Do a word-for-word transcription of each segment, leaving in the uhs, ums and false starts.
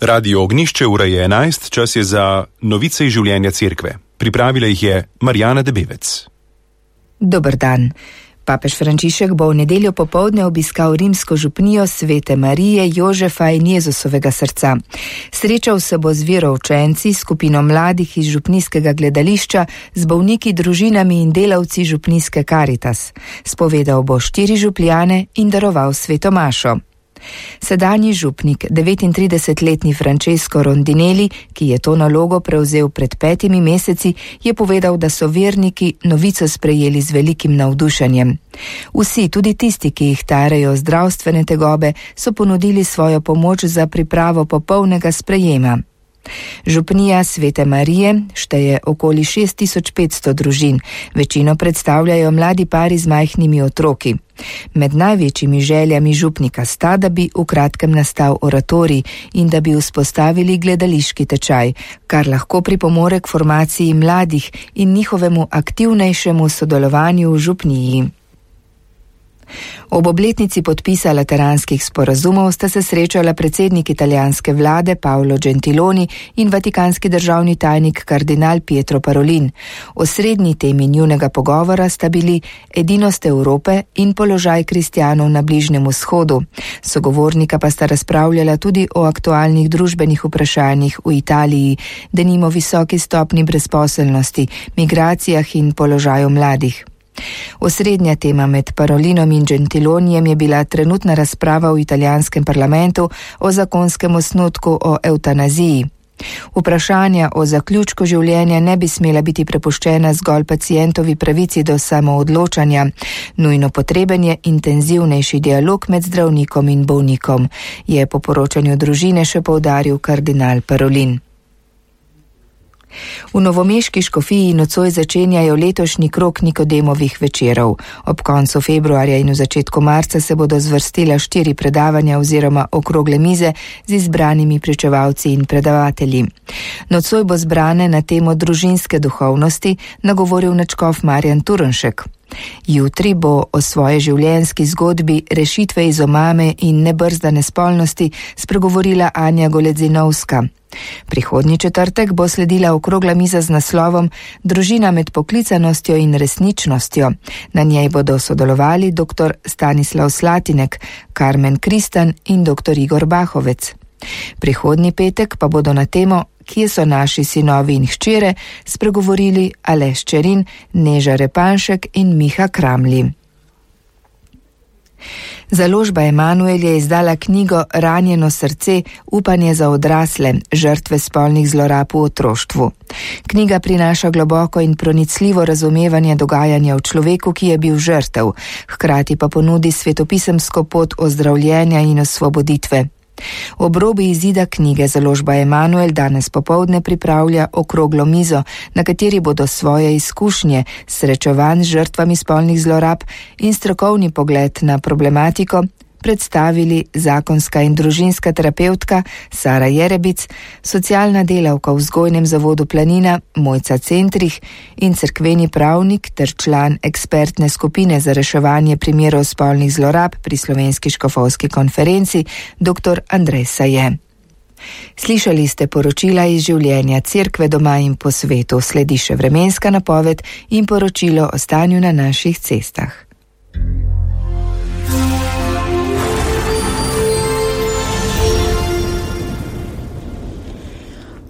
Radio Ognjišče ura je enajst, čas je za novice iz življenja cerkve. Pripravila jih je Marjana Debevec. Dober dan. Papež Frančišek bo v nedeljo popoldne obiskal rimsko župnijo Svete Marije, Jožefa in Jezusovega srca. Srečal se bo z veroučenci, skupino mladih iz župnijskega gledališča, z bolniki, družinami in delavci župnijske Karitas. Spovedal bo štiri župljane in daroval sveto mašo. Sedanji župnik, devetintridesetletni Francesco Rondinelli, ki je to nalogo prevzel pred petimi meseci, je povedal, da so verniki novico sprejeli z velikim navdušenjem. Vsi, tudi tisti, ki jih tarejo zdravstvene tegobe, so ponudili svojo pomoč za pripravo popolnega sprejema. Župnija Svete Marije šteje okoli šest tisoč petsto družin, večino predstavljajo mladi pari z majhnimi otroki. Med največjimi željami župnika sta, da bi v kratkem nastal oratorij in da bi vzpostavili gledališki tečaj, kar lahko pripomore k formaciji mladih in njihovemu aktivnejšemu sodelovanju v župniji. Ob obletnici podpisa lateranskih sporazumov sta se srečala predsednik italijanske vlade Paolo Gentiloni in vatikanski državni tajnik kardinal Pietro Parolin. Osrednji temi njunega pogovora sta bili edinost Evrope in položaj kristjanov na Bližnjem vzhodu. Sogovornika pa sta razpravljala tudi o aktualnih družbenih vprašanjih v Italiji, denimo visoki stopnji brezposelnosti, migracijah in položaju mladih. Osrednja tema med Parolinom in Gentilonijem je bila trenutna razprava v italijanskem parlamentu o zakonskem osnutku o evtanaziji. Vprašanja o zaključku življenja ne bi smela biti prepuščena zgolj pacientovi pravici do samoodločanja. Nujno potreben je intenzivnejši dialog med zdravnikom in bolnikom, je po poročanju družine še poudaril kardinal Parolin. V novomeški škofiji nocoj začenjajo letošnji krog Nikodemovih večerov. Ob koncu februarja in v začetku marca se bodo zvrstila štiri predavanja oziroma okrogle mize z izbranimi pričevalci in predavatelji. Nocoj bo zbrane na temo družinske duhovnosti nagovoril nadškof Marjan Turnšek. Jutri bo o svoji življenjski zgodbi rešitve iz omame in nebrzdane spolnosti spregovorila Anja Goledzinovska. Prihodnji četrtek bo sledila okrogla miza z naslovom Družina med poklicanostjo in resničnostjo. Na njej bodo sodelovali dr. Stanislav Slatinek, Karmen Kristan in dr. Igor Bahovec. Prihodnji petek pa bodo na temo Kje so naši sinovi in hčere spregovorili Aleš Čerin, Neža Repanšek in Miha Kramli. Založba Emanuel je izdala knjigo Ranjeno srce, upanje za odrasle, žrtve spolnih zlorab v otroštvu. Knjiga prinaša globoko in pronicljivo razumevanje dogajanja v človeku, ki je bil žrtev, hkrati pa ponudi svetopisemsko pot ozdravljenja in osvoboditve. Ob robi izida knjige založba Emanuel danes popoldne pripravlja okroglo mizo, na kateri bodo svoje izkušnje, srečevanj z žrtvami spolnih zlorab in strokovni pogled na problematiko predstavili zakonska in družinska terapevtka Sara Jerebic, socialna delavka v vzgojnem zavodu Planina Mojca Centrih in cerkveni pravnik ter član ekspertne skupine za reševanje primerov spolnih zlorab pri Slovenski škofovski konferenci dr. Andrej Saje. Slišali ste poročila iz življenja cerkve doma in po svetu, sledi še vremenska napoved in poročilo o stanju na naših cestah.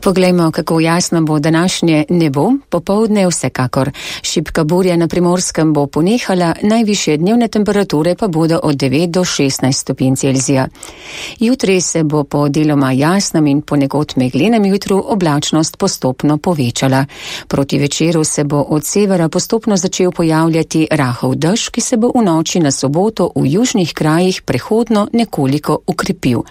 Poglejmo, kako jasno bo današnje nebo, popoldne vsekakor. Šibka burja na Primorskem bo ponehala, najvišje dnevne temperature pa bodo od devet do šestnajst stopinj Celzija. Jutri se bo po deloma jasnem in ponekod meglenem jutru oblačnost postopno povečala. Proti večeru se bo od severa postopno začel pojavljati rahel dež, ki se bo v noči na soboto v južnih krajih prehodno nekoliko ukrepil.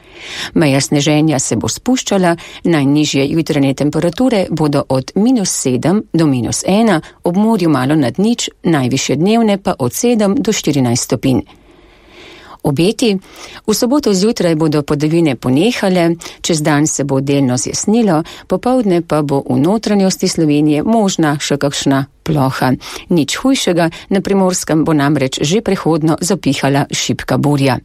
Meja sneženja se bo spuščala, najnižje jutranje temperature bodo od minus sedem do minus ena, ob morju malo nad nič, najvišje dnevne pa od sedem do štirinajst stopinj. Obeti. V soboto zjutraj bodo padavine ponehale, čez dan se bo delno zjasnilo, popoldne pa bo v notranjosti Slovenije možna še kakšna ploha. Nič hujšega, na Primorskem bo namreč že prehodno zapihala šibka burja.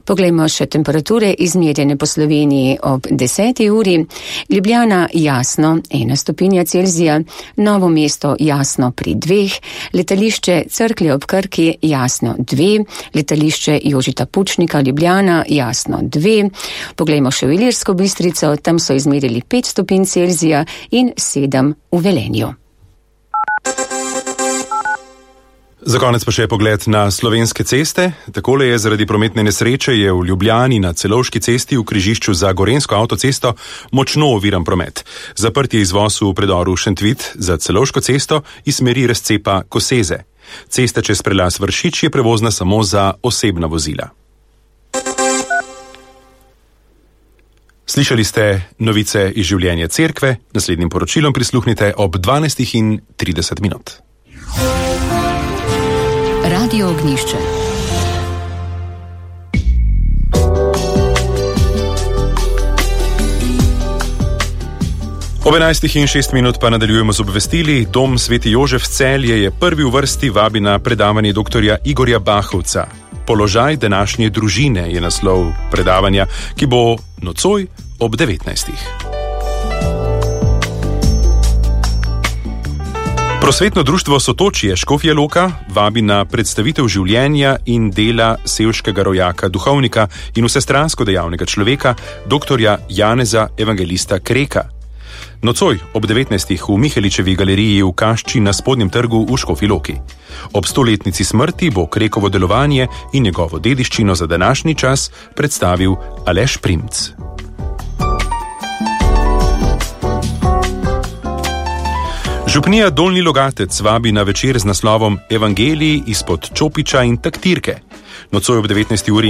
Poglejmo še temperature izmerjene po Sloveniji ob deseti uri. Ljubljana jasno, ena stopinja Celzija, Novo mesto jasno pri dveh, letališče Cerklje ob Krki jasno dve, letališče Jožeta Pučnika Ljubljana jasno dve. Poglejmo še v Ilirsko Bistrico, tam so izmerili pet stopinj Celzija in sedem v Velenju. Za konec pa še pogled na slovenske ceste. Takole je: zaradi prometne nesreče je v Ljubljani na Celovški cesti v križišču za Gorenjsko avtocesto močno oviran promet. Zaprt je izvoz v predoru Šentvit za Celovško cesto iz smeri razcepa Koseze. Cesta čez prelaz Vršič je prevozna samo za osebna vozila. Slišali ste novice iz življenja cerkve, naslednjim poročilom prisluhnite ob dvanajstih in trideset minut. Radio Ognjišče. Ob enajstih in šest minut pa nadaljujemo z obvestili. Dom Sveti Jožef Celje je prvi v vrsti, vabi na predavanje doktorja Igorja Bahovca. Položaj današnje družine je naslov predavanja, ki bo nocoj ob devetnajstih. Prosvetno društvo Sotočje Škofja Loka vabi na predstavitev življenja in dela sevškega rojaka, duhovnika in vsestransko dejavnega človeka, doktorja Janeza Evangelista Kreka. Nocoj ob devetnajstih v Miheličevi galeriji v Kašči na Spodnjem trgu v Škofji Loki. Ob stoletnici smrti bo Krekovo delovanje in njegovo dediščino za današnji čas predstavil Aleš Primc. Župnija Dolnji Logatec vabi na večer z naslovom Evangeliji izpod Čopiča in taktirke. Nocoj ob devetnajsti uri